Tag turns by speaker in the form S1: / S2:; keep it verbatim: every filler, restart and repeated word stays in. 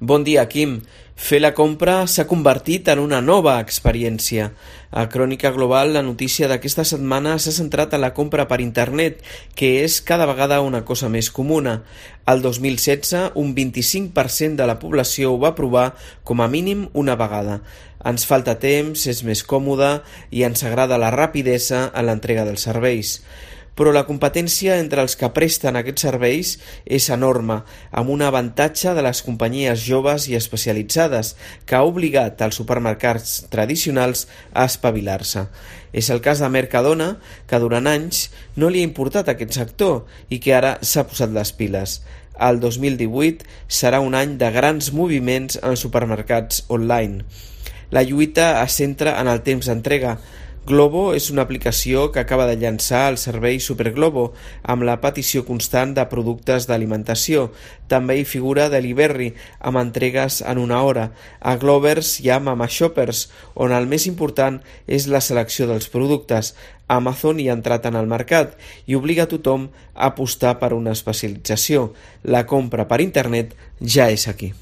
S1: Bon dia, Quim. Fer la compra s'ha convertit en una nova experiència. A Crònica Global, la notícia d'aquesta setmana s'ha centrat en la compra per internet, que és cada vegada una cosa més comuna. El dos mil setze, un vint-i-cinc per cent de la població ho va provar com a mínim una vegada. Ens falta temps, és més còmode i ens agrada la rapidesa en l'entrega dels serveis. Però la competència entre els que presten aquests serveis és enorme, amb un avantatge de les companyies joves i especialitzades, que ha obligat els supermercats tradicionals a espavilar-se. És el cas de Mercadona, que durant anys no li ha importat aquest sector i que ara s'ha posat les piles. El dos mil divuit serà un any de grans moviments en supermercats online. La lluita es centra en el temps d'entrega. Globo és una aplicació que acaba de llançar el servei Superglobo amb la petició constant de productes d'alimentació. També hi figura Deliverry amb entregues en una hora. A Glovers hi ha Mama Shoppers, on el més important és la selecció dels productes. Amazon hi ha entrat en el mercat i obliga a tothom a apostar per una especialització. La compra per internet ja és aquí.